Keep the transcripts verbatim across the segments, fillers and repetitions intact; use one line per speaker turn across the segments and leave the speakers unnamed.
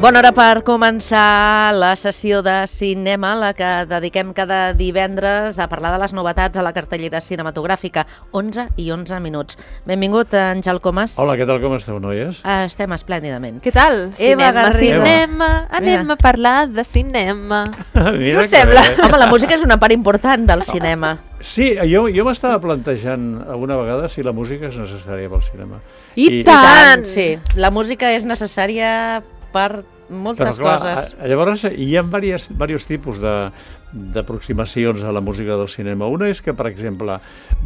Bona hora per començar la sessió de cinema, la que dediquem cada divendres a parlar de les novetats a la cartellera cinematogràfica. onze i onze minuts. Benvingut, Àngel Comas.
Hola, què tal, com esteu, noies?
Uh, estem esplèndidament.
Què tal?
Eva
Cinema,
Garrido.
cinema, anem
Mira.
a parlar de cinema.
Què
us sembla?
Home, la música és una part important del cinema.
Sí, jo, jo m'estava plantejant alguna vegada si la música és necessària pel cinema.
I,
I
tant!
Sí, la música és necessària per moltes
Però, clar,
coses.
a- Llavors, hi ha diversos, diversos tipus de d'aproximacions a la música del cinema. Una és que, per exemple,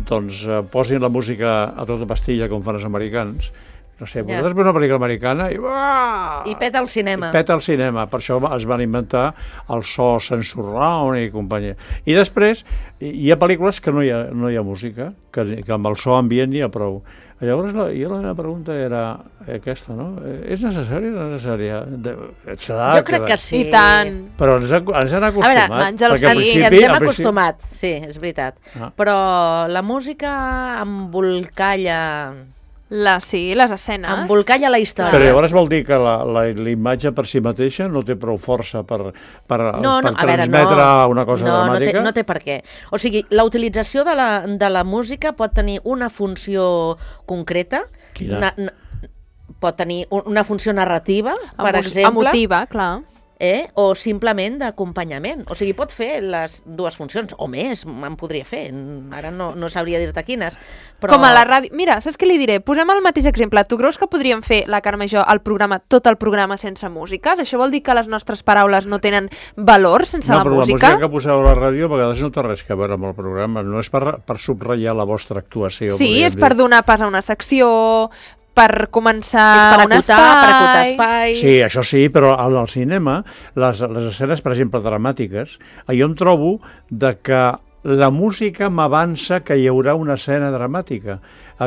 doncs, eh, posin la música a tota pastilla, com fan els americans. No sé,
Ja.
vosaltres veu una pel·lícula americana i... uah!
I peta el cinema.
I peta el cinema. Per això es van inventar el so sensurround i companyia. I després, hi hi ha pel·lícules que no hi ha, no hi ha música, que, que amb el so ambient n'hi ha prou. Llavors, la, jo la meva pregunta era aquesta, no? És necessària o no necessària? De,
Jo crec que sí.
I tant.
Però ens, ha, ens han
A
acostumat.
veure,
Àngel,
perquè al
sí,
Sí,
principi-
ens hem
al principi-
acostumat, sí, és veritat.
Ah.
Però la música embolcalla,
La, sí, les escenes.
embolcalla la història.
Però llavors vol dir que la, la, la imatge per si mateixa no té prou força per, per,
No, no,
per
a veure,
transmetre
no.
una cosa
no,
dramàtica?
No té, no té per què. O sigui, la utilització de la, de la música pot tenir una funció concreta.
Quina?
Na, na, pot tenir un- una funció narrativa, per
Emo-
exemple,
Emotiva, clar.
eh? o simplement d'acompanyament. O sigui, pot fer les dues funcions, o més, en podria fer. Ara no, no sabria dir-te quines. Però...
Com a la ràdio... Mira, saps què li diré? Posem el mateix exemple. Tu creus que podríem fer, la Carme i jo, el programa, tot el programa sense músiques? Això vol dir que les nostres paraules no tenen valor sense
no,
la
però
música?
la música que poseu a la ràdio a vegades no té res a veure amb el programa. No és per, per subratllar la vostra actuació.
Sí,
podríem
és
dir.
per donar pas a una secció, per començar
és per
un
acotar,
espai...
per acotar espais...
Sí, això sí, però al al cinema, les, les escenes, per exemple, dramàtiques, jo em trobo de que la música m'avança que hi haurà una escena dramàtica.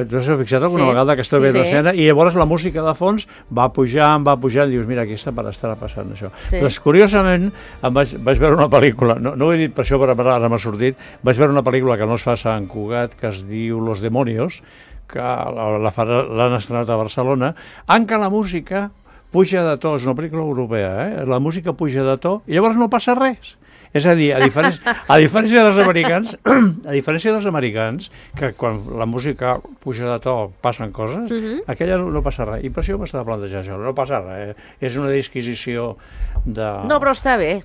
Tu has fixat alguna
Sí,
vegada que esteu
sí,
veient
sí.
una escena i llavors la música de fons va pujant, va pujant, i dius, mira, aquí està per estar passant això.
Sí.
Doncs, curiosament, em vaig, vaig veure una pel·lícula, no, no ho he dit per això, però ara m'ha sortit, vaig veure una pel·lícula que no es fa a Sant Cugat, que es diu Los Demonios, que la- la farà- l'han estrenat a Barcelona, en què la música puja de to, és una pel·lícula europea, eh? La música puja de to i llavors no passa res. És a dir, a diferència, a diferència dels americans, a diferència dels americans, que quan la música puja de to passen coses,
Mhm.
aquella no, no passa res. I per això m'estava plantejant això, no passa res. Eh? És una disquisició de...
No, però està bé.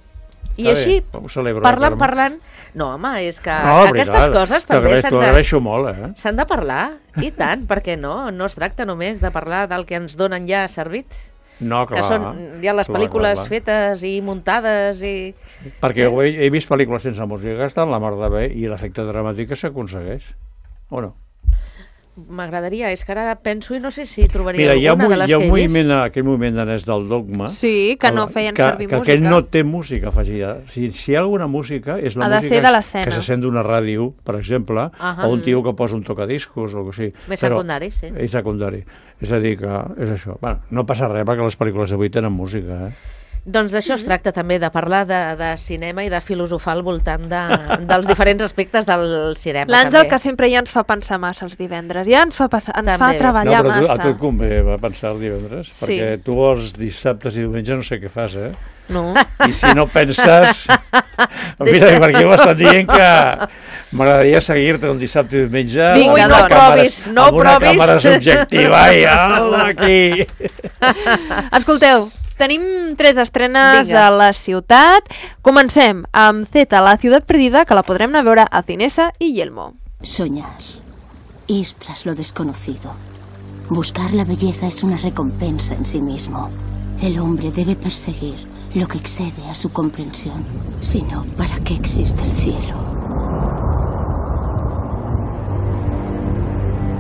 I
Està
així,
bé, ho celebro,
parlant,
Carme.
parlant... No, home, és que
No,
aquestes
veritat,
coses també
t'agraeixo-
s'han
t'ho
de...
agraeixo molt, eh?
S'han de parlar, i tant, perquè no? No es tracta només de parlar del que ens donen ja servit,
No, clar.
que són ja les
clar,
pel·lícules
clar, clar.
fetes i muntades i...
Perquè he, he vist pel·lícules sense música que estan la mar de bé i l'efecte dramàtic s'aconsegueix, o no?
M'agradaria, és que ara penso i no sé si trobaria
Mira, hi ha,
alguna
un-
de les
hi ha
que
un
he vist.
moviment, aquell moviment danès del dogma,
Sí, que no
el-
feien
que,
servir
que
música.
aquell no té música afegida. Si, si hi ha alguna música, és la
Ha de
música
ser de
que-
l'escena.
que se sent d'una ràdio, per exemple,
Ahà.
o un tio que posa un tocadiscos o alguna cosa així.
Més
Però-
secundari, sí.
És secundari. És a dir, que és això. Bueno, no passa res perquè les pel·lícules d'avui tenen música, eh?
Doncs d'això es tracta també, de parlar de, de cinema i de filosofar al voltant de, dels diferents aspectes del cinema.
L'Àngel,
també.
que sempre ja ens fa pensar massa els divendres, ja ens fa, passar, ens
També.
fa treballar
no, però tu,
massa.
a tu et convé va pensar el divendres,
Sí.
perquè tu els dissabtes i diumenges no sé què fas, eh?
No.
I si no penses... Mira, perquè m'estan dient que m'agradaria seguir-te un dissabte i diumenge
Vinga,
Ui,
amb
no
una
doncs.
càmera-
provis, no
amb una
provis.
càmera subjectiva i ala, aquí.
Escolteu, tenim tres estrenes
Vinga.
a la ciutat. Comencem amb Zeta, la ciutat perdida, que la podrem anar a veure a Cinesa i Yelmo.
Soñar. Ir tras lo desconocido. Buscar la belleza es una recompensa en sí mismo. El hombre debe perseguir lo que excede a su comprensión. Si no, ¿para qué existe el cielo?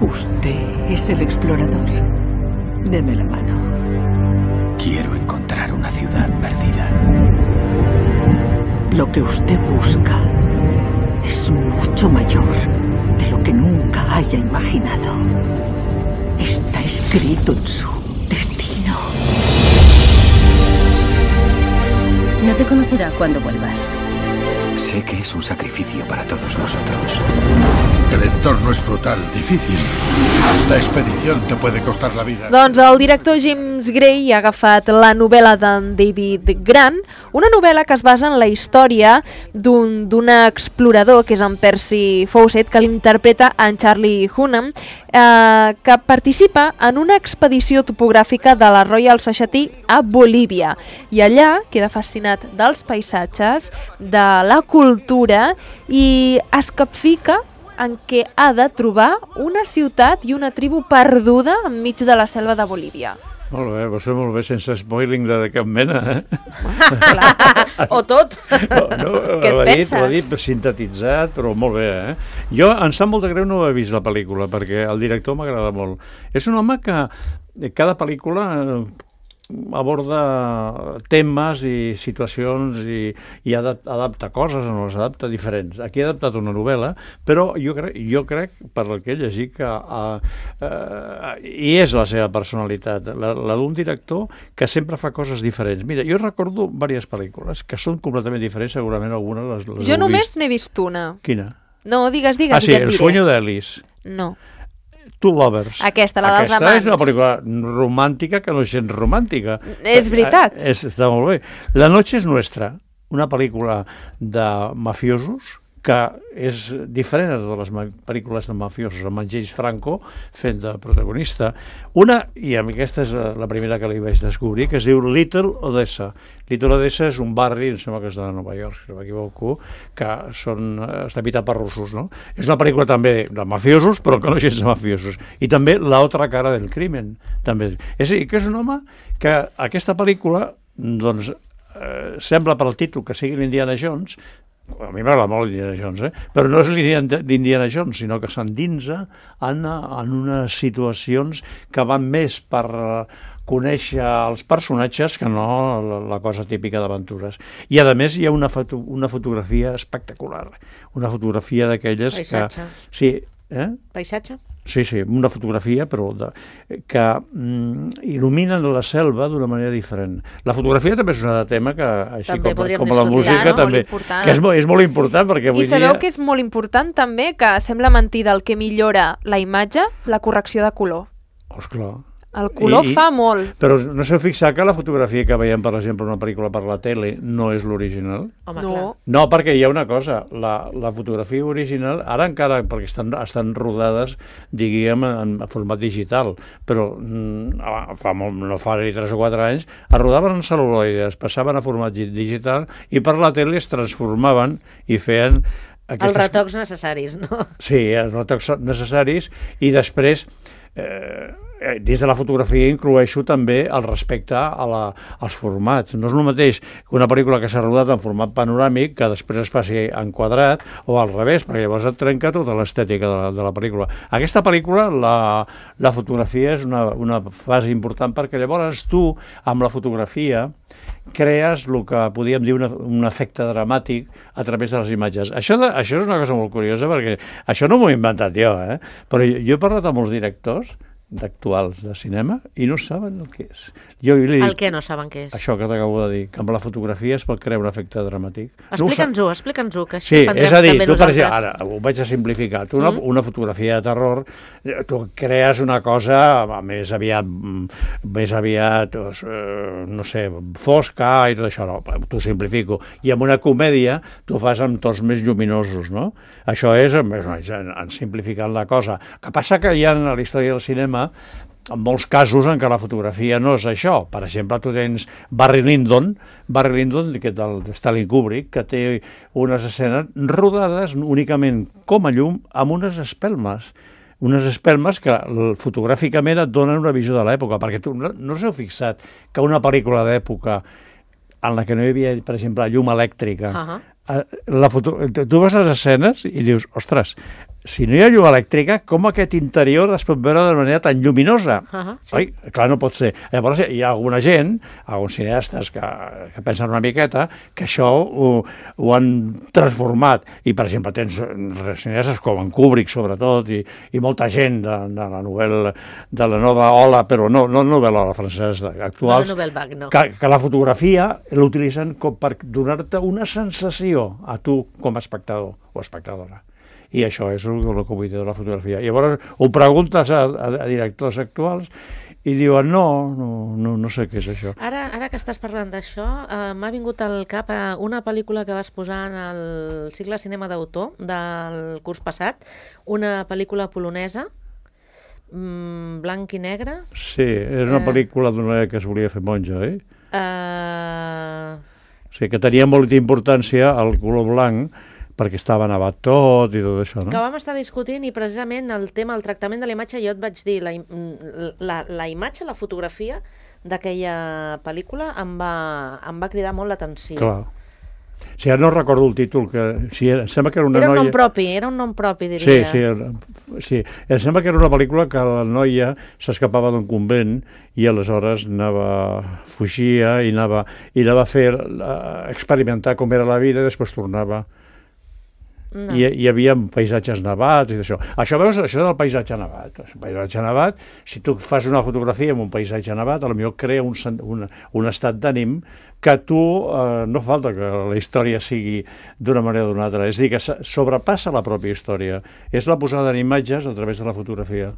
Usted es el explorador. Deme la mano.
Quiero encontrar una ciudad perdida.
Lo que usted busca es mucho mayor de lo que nunca haya imaginado. Está escrito en su destino.
No te conocerá cuando vuelvas.
Sé que es un sacrificio para todos nosotros.
El entorno es brutal, difícil. La expedición te puede costar la vida.
Doncs el director James Gray ha agafat la novel·la d'en David Grant, una novel·la que es basa en la història d'un d'un explorador, que és en Percy Fawcett, que l'interpreta en Charlie Hunnam, eh, que participa en una expedició topogràfica de la Royal Society a Bolívia. I allà queda fascinat dels paisatges, de la cultura, i es capfica en què ha de trobar una ciutat i una tribu perduda enmig de la selva de Bolívia.
Molt bé, va ser molt bé, sense spoiling de cap mena, eh?
O tot.
No, no,
Què et
ho ha dit,
penses?
ho ha dit sintetitzat, però molt bé, eh? Jo, em sap molt de greu no haver vist la pel·lícula, perquè el director m'agrada molt. És un home que cada pel·lícula eh, aborda temes i situacions i, i adapta, adapta coses, no les adapta diferents. Aquí ha adaptat una novel·la, però jo crec, jo crec per el que he llegit, que uh, uh, hi és la seva personalitat, la, la d'un director que sempre fa coses diferents. Mira, jo recordo diverses pel·lícules que són completament diferents, segurament algunes les, les
Jo
heu
només
vist.
n'he vist una.
Quina?
No, digues, digues,
Ah, sí,
i ja et
El
diré.
sueño d'Alice.
No.
Two Lovers.
Aquesta, la dels
Aquesta és una
amants.
pel·lícula romàntica que no és gens romàntica.
És veritat.
Eh, és, està molt bé. La noche es nuestra, una pel·lícula de mafiosos que és diferent de totes les ma- pel·lícules de mafiosos, amb en James Franco fent de protagonista. Una, i aquesta és la la primera que li vaig descobrir, que es diu Little Odessa. Little Odessa és un barri, em sembla que és de Nova York, si no m'equivoco, que són, eh, està habitat per russos, no? És una pel·lícula també de mafiosos, però que no és gens de mafiosos. I també La otra cara del crimen, també. És a dir, que és un home que aquesta pel·lícula, doncs, eh, sembla per al títol que sigui l'Indiana Jones. A mi m'agrada molt l'Indiana Jones, eh? Però no és l'Indiana Jones, sinó que s'endinsa en, en unes situacions que van més per eh, conèixer els personatges que no la, la cosa típica d'aventures. I a més hi ha una, foto, una fotografia espectacular, una fotografia d'aquelles que...
Paisatge.
Sí, eh?
Paisatge?
Sí, sí, una fotografia però de, que mm, il·luminen la selva d'una manera diferent. La fotografia també és un altre tema que, així
També
com,
podríem
com la
discutir,
música,
no? Molt
també,
important.
que és, mo- és molt important perquè avui
I sabeu
dia...
que és molt important també, que sembla mentida el que millora la imatge, la correcció de color.
Oh, esclar.
El color
I- i-
fa molt.
Però no s'heu fixat que la fotografia que veiem, per exemple, una pel·lícula per la tele no és l'original?
Home,
No.
clar.
No, perquè hi ha una cosa, la, la fotografia original, ara encara, perquè estan, estan rodades, diguem, en, en format digital, però mm, fa molt, no fa ni tres o quatre anys, es rodaven en cel·luloides, passaven a format gi- digital i per la tele es transformaven i feien
Els
aquestes...
retocs necessaris, no?
Sí, els retocs necessaris i després eh, des de la fotografia incloeixo també el respecte a la, als formats. No és el mateix que una pel·lícula que s'ha rodat en format panoràmic que després es passi en quadrat o al revés, perquè llavors et trenca tota l'estètica de, la, de la pel·lícula. Aquesta pel·lícula, la, la fotografia és una, una fase important perquè llavors tu, amb la fotografia, crees el que podíem dir una, un efecte dramàtic a través de les imatges. Això, de, això és una cosa molt curiosa perquè això no m'ho he inventat jo, eh? Però jo, jo he parlat amb molts directors d'actuals de cinema i no saben el que és. Jo li dic,
El que no saben què és.
això que t'acabo de dir, que amb la fotografia es pot crear un efecte dramàtic. No ho sap-
Explica'ns-ho, explica'ns-ho, que així
Sí,
aprendrem
és a dir,
també
tu per
nosaltres.
exemple, ara ho vaig a simplificar, tu una,
Mm.
una fotografia de terror, eh, tu crees una cosa eh, més aviat, mm, més aviat, doncs, eh, no sé, fosca i tot això, no, t'ho simplifico. I amb una comèdia tu fas amb tons més lluminosos, no? Això és, més o menys, en, en simplificant la cosa. El que passa que hi ha en la història del cinema en molts casos en què la fotografia no és això. Per exemple, tu tens Barry Lyndon, Barry Lyndon, que és del Stanley Kubrick, que té unes escenes rodades únicament com a llum amb unes espelmes unes espelmes que fotogràficament et donen una visió de l'època, perquè tu no, no us heu fixat que una pel·lícula d'època en la que no hi havia, per exemple, llum elèctrica,
Uh -huh.
la foto, tu vas a les escenes i dius, ostres, si no hi ha llum elèctrica, com aquest interior es pot veure de manera tan lluminosa?
Uh-huh, sí.
Oi? Clar, no pot ser. Llavors, hi ha alguna gent, alguns cineastes que, que pensen una miqueta, que això ho, ho han transformat. I, per exemple, tens cineastes com en Kubrick, sobretot, i, i molta gent de, de la novel·la, de la nova ola, però no, no novel·la francesa actuals,
no, no, no.
que, que la fotografia l'utilitzen com per donar-te una sensació a tu com a espectador o espectadora. I això és el, el que vull dir de la fotografia. I llavors ho preguntes a, a, a directors actuals i diuen no, no, no, no sé què és això.
Ara, ara que estàs parlant d'això, eh, m'ha vingut al cap eh, una pel·lícula que vas posar en el cicle cinema d'autor del curs passat, una pel·lícula polonesa, mm, blanc i negre.
Sí, és una eh... pel·lícula d'una que es volia fer monja, oi?
Eh...
Sí, que tenia molta importància el color blanc, perquè estava nevat tot i tot això, no?
Que vam estar discutint i precisament el tema, el tractament de la imatge, jo et vaig dir, la, la, la imatge, la fotografia d'aquella pel·lícula em va, em va cridar molt l'atenció.
Clar. Si ara no recordo el títol, que si era, em sembla que era una
era
noia...
Era un nom propi, era un nom propi, diria.
Sí, sí, sí. Em sembla que era una pel·lícula que la noia s'escapava d'un convent i aleshores anava, fugia i anava, i anava a fer, a experimentar com era la vida i després tornava. No. I hi havia paisatges nevats i d'això. Això, veus, això del paisatge nevat. El paisatge nevat, si tu fas una fotografia amb un paisatge nevat, potser crea un, un, un estat d'ànim que tu, eh, no falta que la història sigui d'una manera o d'una altra. És a dir, que sobrepassa la pròpia història. És la posada en imatges a través de la fotografia.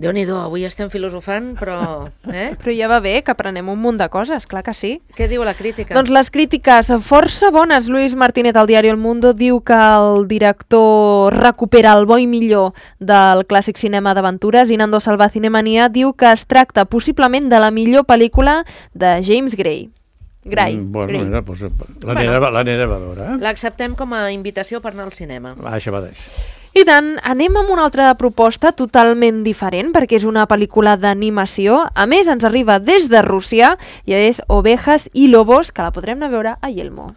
Déu-n'hi-do, avui estem filosofant, però... Eh?
Però ja va bé, que aprenem un munt de coses, clar que sí.
Què diu la crítica?
Doncs les crítiques força bones. Luis Martínez, al diari El Mundo, diu que el director recupera el bo i millor del clàssic cinema d'aventures i Nando Salva Cinemania diu que es tracta possiblement de la millor pel·lícula de James Gray. Gray.
Mm, bueno,
Gray.
mira, pues, l'anirem bueno, a veure. Eh?
L'acceptem com a invitació per anar al cinema.
Ah, això mateix.
I tant, anem amb una altra proposta totalment diferent, perquè és una pel·lícula d'animació. A més, ens arriba des de Rússia, i és Ovejas y Lobos, que la podrem anar a veure a Yelmo.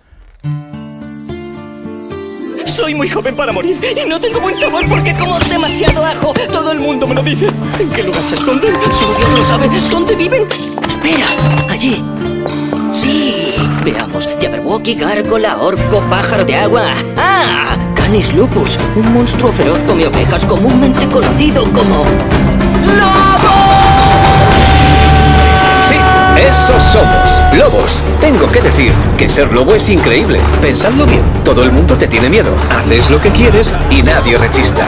Soy muy joven para morir y no tengo buen sabor porque como demasiado ajo. Todo el mundo me lo dice. ¿En qué lugar se esconden? Solo Dios lo sabe. ¿Dónde viven? Espera, allí. Sí, veamos. Jabberwocky, gárgola, orco, pájaro de agua. ¡Ah! Canis lupus, un monstruo feroz come ovejas comúnmente conocido como... ¡Lobo!
Sí, esos somos, lobos. Tengo que decir que ser lobo es increíble. Pensadlo bien, todo el mundo te tiene miedo. Haces lo que quieres y nadie rechista.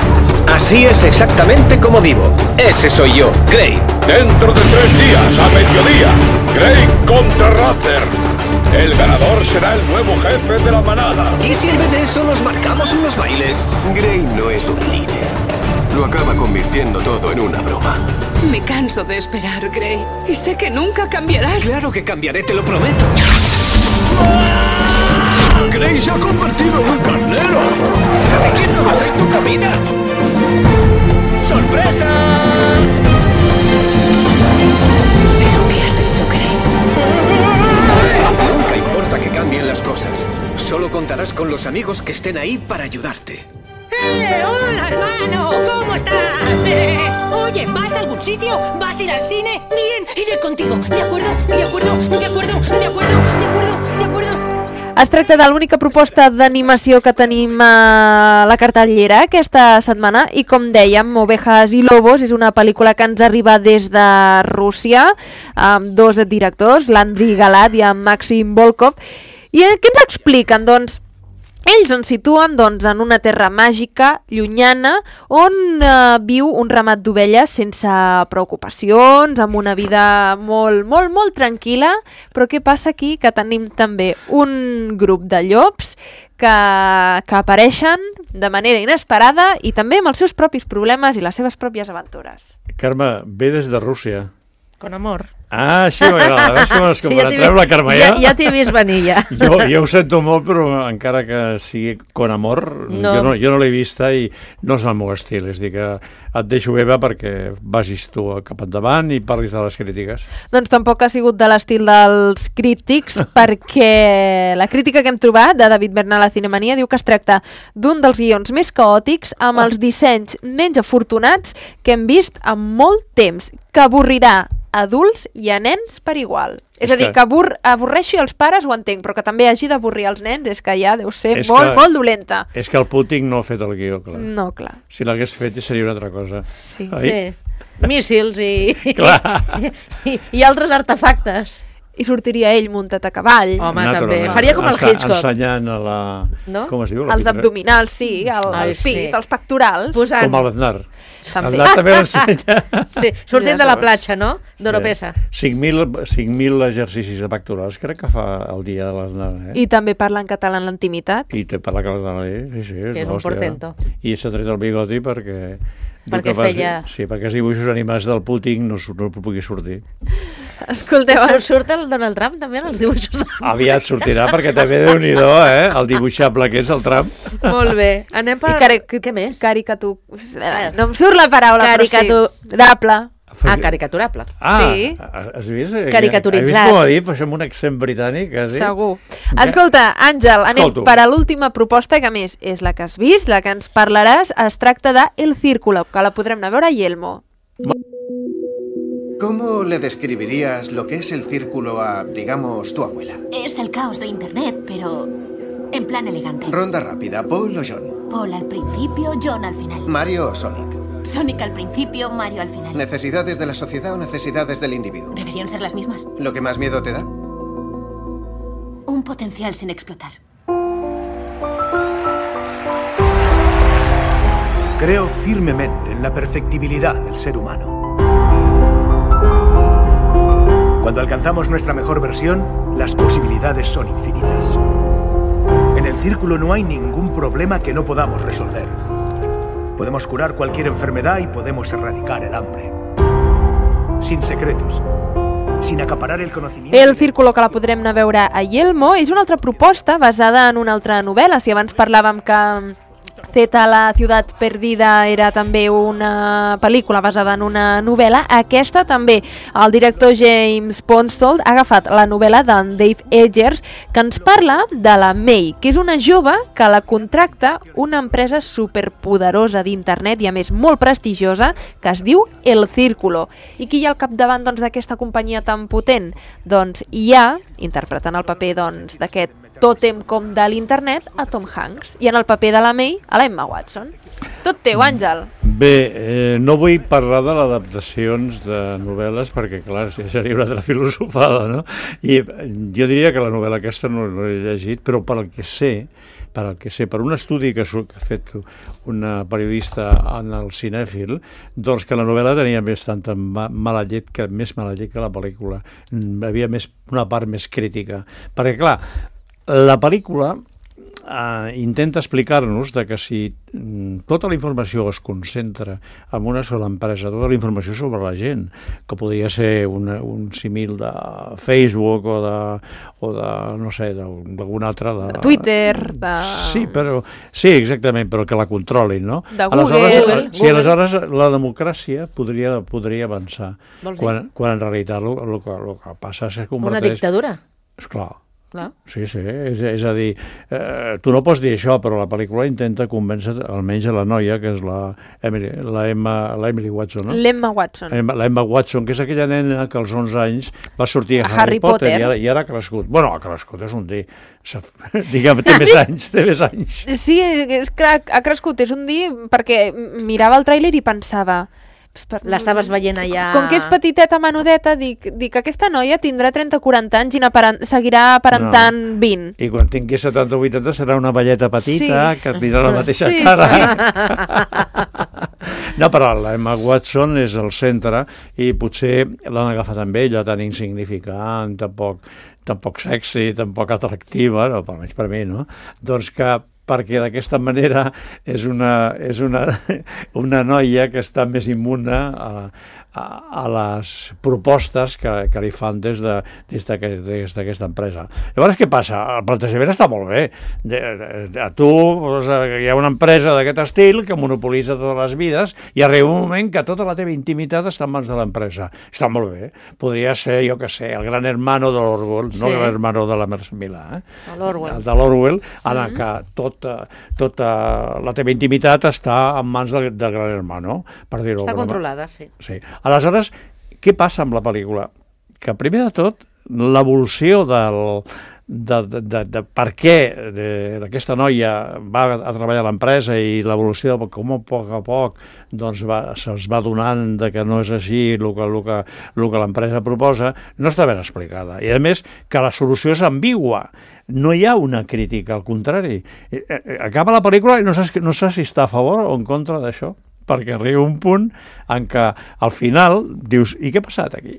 Así es exactamente como vivo. Ese soy yo, Gray.
Dentro de tres días, a mediodía, Gray contra Rather. El ganador será el nuevo jefe de la manada.
¿Y si en vez de eso nos marcamos unos bailes?
Gray no es un líder. Lo acaba convirtiendo todo en una broma.
Me canso de esperar, Gray. Y sé que nunca cambiarás.
Claro que cambiaré, te lo prometo.
Gray se ha convertido en un carnero.
¿De quién no vas a ir tu camino? ¡Sorpresa!
¿Pero qué has hecho, Gray?
Nunca importa que cambien las cosas. Solo contarás con los amigos que estén ahí para ayudarte.
¡Eh! ¡Hola, hermano! ¿Cómo estás? Eh, oye, ¿vas a algún sitio? ¿Vas a ir al cine? Bien, iré contigo. ¿De acuerdo? ¿De acuerdo? ¿De acuerdo? ¿De acuerdo? ¿De acuerdo? ¿De acuerdo?
Es tracta de l'única proposta d'animació que tenim a la cartellera aquesta setmana i, com dèiem, Ovejas y Lobos és una pel·lícula que ens arriba des de Rússia amb dos directors, l'Andriy Galat i en Maxim Volkov. I què ens expliquen? Doncs ells ens situen doncs, en una terra màgica, llunyana, on eh, viu un ramat d'ovelles sense preocupacions, amb una vida molt, molt, molt tranquil·la. Però què passa aquí? Que tenim també un grup de llops que, que apareixen de manera inesperada i també amb els seus propis problemes i les seves pròpies aventures.
Carme, ve des de Rússia.
Con amor.
Ah, així m'agrada, veus com es compara?
Sí,
Treu la Carmellà.
Ja, ja t'he vist venir, ja.
Jo, jo ho sento molt, però encara que sigui con amor,
No.
jo no, jo no l'he vista i no és el meu estil. És a dir, que et deixo, Eva, perquè vagis tu cap endavant i parlis de les crítiques.
Doncs tampoc ha sigut de l'estil dels crítics, perquè la crítica que hem trobat de David Bernal a Cinemania diu que es tracta d'un dels guions més caòtics, amb els dissenys menys afortunats que hem vist en molt temps, que avorrirà adults i a nens per igual. És,
És
a dir,
que-
que abur avorreixi els pares ho entenc, però que també hagi d'avorrir els nens és que ja deu ser
És
molt,
que-
molt dolenta.
És que el Putin no ha fet el guió, clar.
No, clar.
Si l'hagués fet seria una altra cosa.
Sí.
Sí. Míssils i,
Clar.
i, i altres artefactes.
I sortiria ell muntat a cavall.
Home, també.
Naturalment.
Faria com el
Ense-
Hitchcock.
Ensenyant a la...
No?
Com es diu? La
Els
pitra-
abdominals, sí, el,
Ai,
el pit,
sí.
els pectorals.
Posant...
Com l'Aznar.
També.
L'Aznar també l'ensenya.
Sí, sortint de la platja, no? D'Oropesa.
cinc mil exercicis de pectorals crec que fa el dia de l'Aznar. Eh?
I també parla en català en l'intimitat.
I te parla català, eh? Sí, sí,
Que és un
l'hòstia.
portento.
I s'ha tret el bigoti perquè... diu
Perquè
que va-
feia-
Sí, perquè els dibuixos animats del Putin no, su- no pugui sortir.
Escolteu,
Surt, surt el Donald Trump també en els dibuixos de...
Aviat sortirà, perquè també déu-n'hi-do, eh? El dibuixable que és el Trump.
Molt bé. Anem per...
I cari
Què més?
Caricatu... No em surt la paraula,
Caricatu-
però sí. Rable.
Ah, caricaturable.
Ah,
Sí.
has vist?
Caricaturitzat.
Has vist com ha dit? Però això amb un accent britànic, quasi.
Segur. Escolta, Àngel, anem
Escolto.
per a l'última proposta, que a més és la que has vist, la que ens parlaràs. Es tracta de El Círculo, que la podrem anar a veure a Yelmo.
¿Cómo le describirías lo que es el círculo a, digamos, tu abuela?
Es el caos de Internet, pero en plan elegante.
Ronda rápida, Paul o John.
Paul al principio, John al final.
Mario o Sonic.
Sonic al principio, Mario al final.
¿Necesidades de la sociedad o necesidades del individuo?
¿Deberían ser las mismas?
¿Lo que más miedo te da?
Un potencial sin explotar.
Creo firmemente en la perfectibilidad del ser humano. Cuando alcanzamos nuestra mejor versión, las posibilidades son infinitas. En el círculo no hay ningún problema que no podamos resolver. Podemos curar cualquier enfermedad y podemos erradicar el hambre. Sin secretos, sin acaparar el conocimiento...
El Círculo, que la podrem anar a veure a Yelmo, és una altra proposta basada en una altra novel·la. Si abans parlàvem que Zeta, la ciutat perdida, era també una pel·lícula basada en una novel·la, aquesta també. El director James Ponsoldt ha agafat la novel·la d'en Dave Eggers, que ens parla de la May, que és una jove que la contracta una empresa superpoderosa d'internet i a més molt prestigiosa, que es diu El Círculo. I qui hi ha al capdavant doncs, d'aquesta companyia tan potent? Doncs hi ha, interpretant el paper doncs, d'aquest tòtem com de l'internet, a Tom Hanks, i en el paper de la May, a l'Emma Watson. Tot teu, Àngel.
Bé, eh, no vull parlar de les adaptacions de novel·les perquè, clar, seria una altra filosofada, no? I jo diria que la novel·la aquesta no l'he llegit, però per al que sé, per al que sé, per un estudi que ha fet una periodista en el cinèfil, doncs que la novel·la tenia més tanta mala llet que, més mala llet que la pel·lícula. Hi havia més, una part més crítica. Perquè, clar, la pel·lícula eh, intenta explicar-nos de que si mm, tota la informació es concentra en una sola empresa, tota la informació sobre la gent, que podria ser una, un símil de Facebook o de, o de no sé, d'algun altre... De,
de Twitter, de...
Sí, però, sí, exactament, però que la controlin, no?
De Google.
Aleshores,
Google.
sí, aleshores la democràcia podria, podria avançar,
Vols dir?
quan, quan en realitat el que, el que passa és que es
Una
converteix...
dictadura.
Esclar.
Clar.
Sí, sí, és, és a dir, eh, tu no pots dir això, però la pel·lícula intenta convèncer almenys a la noia, que és la Emily, la Emma, la Emily Watson, no?
L'Emma Watson.
Emma, la Emma Watson, que és aquella nena que als onze anys va sortir a,
A
Harry,
Harry
Potter,
Potter.
I, ara, i ara ha crescut. Bueno, ha crescut, és un dir. Digue'm, té més anys, té més anys.
Sí, és que ha crescut, és un dir, perquè mirava el tràiler i pensava...
L'estaves veient allà...
Com que és petiteta, menudeta, dic, dic aquesta noia tindrà trenta o quaranta anys i n'aparen- seguirà aparentant no. vint.
I quan tingui setanta o vuitanta serà una velleta petita,
Sí.
que tindrà la mateixa
Sí,
cara.
sí.
No, però la Emma Watson és el centre i potser l'han agafat amb ella tan insignificant, tampoc, tampoc sexy, tampoc atractiva, no, almenys per mi, no? Doncs que perquè d'aquesta manera és una, és una, una noia que està més immune a, a, a les propostes que, que li fan des de, des d'aquesta empresa. Llavors, què passa? El plantejament està molt bé. De, de, a tu doncs, hi ha una empresa d'aquest estil que monopolitza totes les vides i arriba un moment que tota la teva intimitat està en mans de l'empresa. Està molt bé. Podria ser, jo què sé, el gran hermano de l'Orwell, sí. no el gran hermano de la Mercè Milà, eh?
l'Orwell.
El de l'Orwell, en mm-hmm. què tota, tota la teva intimitat està en mans del, del gran hermano, per dir-ho.
Està controlada, sí.
sí. Aleshores, què passa amb la pel·lícula? Que primer de tot, l'evolució del... De, de, de, de per què aquesta noia va a treballar a l'empresa i l'evolució de com a poc a poc doncs va, se'ls va donant de que no és així el que, el que, el que l'empresa proposa, no està ben explicada. I a més que la solució és ambigua. No hi ha una crítica, al contrari. Acaba la pel·lícula i no sé, no sé si està a favor o en contra d'això, perquè arriba un punt en què al final dius, i què ha passat aquí?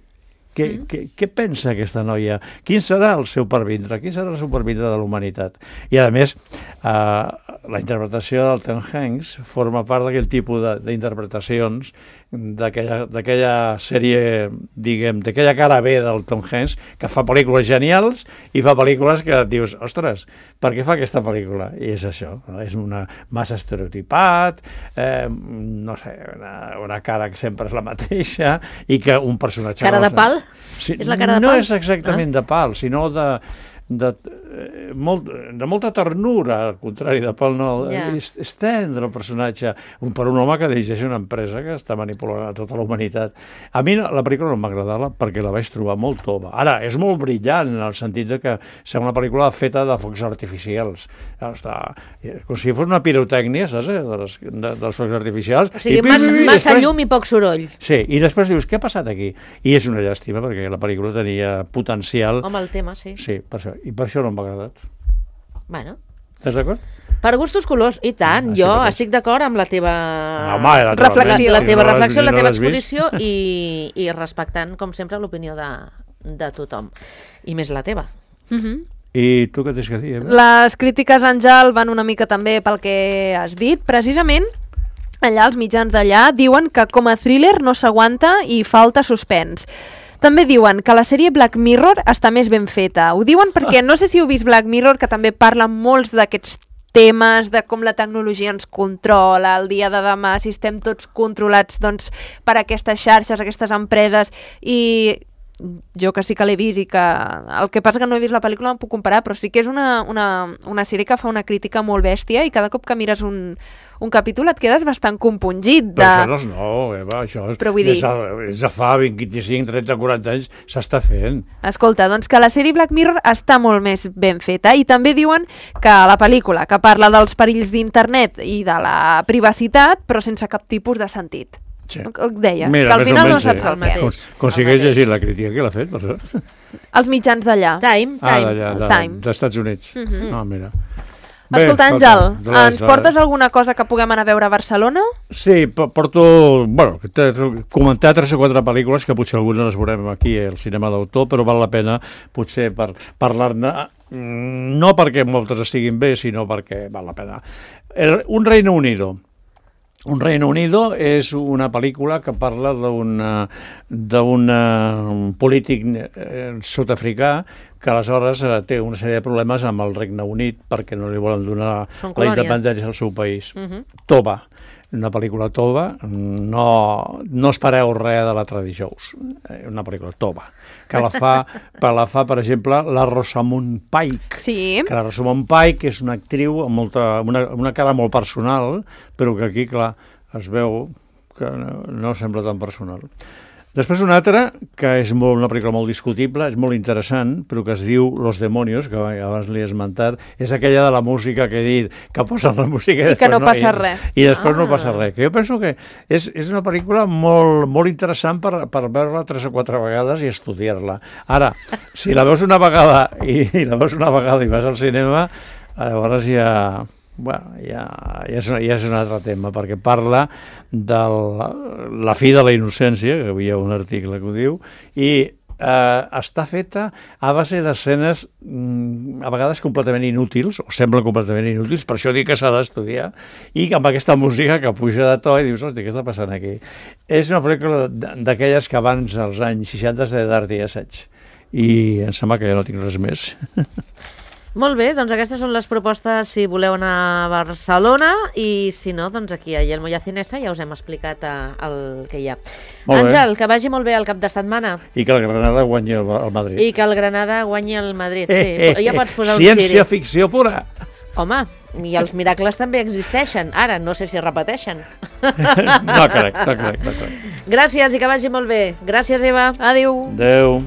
Què, mm. què, què pensa aquesta noia? Quin serà el seu pervindre? Quin serà el seu pervindre de la humanitat? I, a més, eh, la interpretació del Tom Hanks forma part d'aquell tipus d'interpretacions d'aquella sèrie, diguem, d'aquella cara B del Tom Hanks, que fa pel·lícules genials i fa pel·lícules que et dius, ostres, per què fa aquesta pel·lícula? I és això, no? És una massa estereotipat, eh, no sé, una, una cara que sempre és la mateixa i que un personatge...
Cara de pal?
Sí,
és la cara de
no
pal?
És exactament ah. de pal, sinó de, de, eh, molt, de molta ternura, al contrari de pal no, yeah. és, és tendre el personatge, un, per un home que dirigeix una empresa que està manipulant a tota la humanitat. A mi la pel·lícula no m'agradava perquè la vaig trobar molt tova. Ara, és molt brillant en el sentit de que és una pel·lícula feta de focs artificials. Està, com si fos una pirotècnia, saps, eh, de les, de, dels focs artificials.
O sigui,
I,
massa,
i, i,
massa
després,
llum i poc soroll.
Sí, i després dius, què ha passat aquí? I és una llàstima, perquè la pel·lícula tenia potencial.
Home, el tema, sí.
Sí, per això. I per això no m'ha agradat.
Bueno.
Estàs d'acord?
Per gustos colors, i tant. Ah, jo sí, estic d'acord amb la teva
no, home, la
reflexió, la, la teva,
no
reflexió,
no
la teva exposició i, i respectant, com sempre, l'opinió de, de tothom. I més la teva.
Mhm.
I tu què tens que dir? Eh?
Les crítiques, Àngel, van una mica també pel que has dit. Precisament, allà els mitjans d'allà diuen que com a thriller no s'aguanta i falta suspens. També diuen que la sèrie Black Mirror està més ben feta. Ho diuen perquè, no sé si heu vist Black Mirror, que també parla molts d'aquests temes de com la tecnologia ens controla, el dia de demà, si estem tots controlats doncs, per aquestes xarxes, aquestes empreses, i jo que sí que l'he vist i que... El que passa que no he vist la pel·lícula, no em puc comparar, però sí que és una, una, una sèrie que fa una crítica molt bèstia i cada cop que mires un, un capítol et quedes bastant compungit. De...
Però això no és nou, Eva, això és,
dir...
és, és de fa vint, vint-i-cinc, trenta, quaranta anys s'està fent.
Escolta, doncs que la sèrie Black Mirror està molt més ben feta i també diuen que la pel·lícula que parla dels perills d'internet i de la privacitat, però sense cap tipus de sentit.
Sí.
Deies,
Mira,
que al final no
sí.
saps el mateix.
Aconsegueix llegir la crítica, qui l'ha fet? Per això?
Els mitjans d'allà.
Time,
ah,
time.
d'allà, de,
time.
dels Estats Units.
Uh -huh.
Ah, mira.
Escolta, Àngel, ens portes alguna cosa que puguem anar a veure a Barcelona?
Sí, porto, bueno, comentar tres o quatre pel·lícules que potser algunes les veurem aquí al cinema d'autor, però val la pena potser per parlar-ne, no perquè moltes estiguin bé, sinó perquè val la pena. El, un Reino Unido. Un Reino Unido és una pel·lícula que parla d'un polític eh, sud-africà que aleshores eh, té una sèrie de problemes amb el Regne Unit perquè no li volen donar la independència al seu país. Uh -huh. Tova, una pel·lícula tova, no, no espereu res de la Tradijous, una pel·lícula tova, que la fa, la fa per exemple, la Rosamund Pike,
sí.
que la Rosamund Pike és una actriu amb molta, una, una cara molt personal, però que aquí, clar, es veu que no, no sembla tan personal. Després una altra, que és molt, una pel·lícula molt discutible, és molt interessant, però que es diu Los Demonios, que abans l'he esmentat, és aquella de la música que he dit, que posen la música...
I que no passa
i,
res.
I després
ah.
no passa res. Que jo penso que és, és una pel·lícula molt, molt interessant per, per veure-la tres o quatre vegades i estudiar-la. Ara, si la veus una vegada i, i la veus una vegada i vas al cinema, llavors ja... Bueno, ja, ja, és, ja és un altre tema, perquè parla de la, la fi de la innocència, que hi ha un article que ho diu, i eh, està feta a base d'escenes mm, a vegades completament inútils, o semblen completament inútils, per això dic que s'ha d'estudiar, i amb aquesta música que puja de to i dius, hosti, què està passant aquí? És una pel·lícula d'aquelles que abans, als anys seixanta, es deia d'art i assaig, i em sembla que ja no tinc res més.
Molt bé, doncs aquestes són les propostes si voleu anar a Barcelona i si no, doncs aquí a Yelmo i a Cinesa ja us hem explicat eh, el que hi ha. Àngel, que vagi molt bé el cap de setmana.
I que el Granada guanyi el, el Madrid.
I que el Granada guanyi el Madrid, sí.
Eh, eh,
ja pots posar un
ciència ficció pura.
Home, i els miracles també existeixen. Ara, no sé si es repeteixen.
No crec, no crec, no crec.
Gràcies i que vagi molt bé. Gràcies, Eva.
Adéu.
Adéu.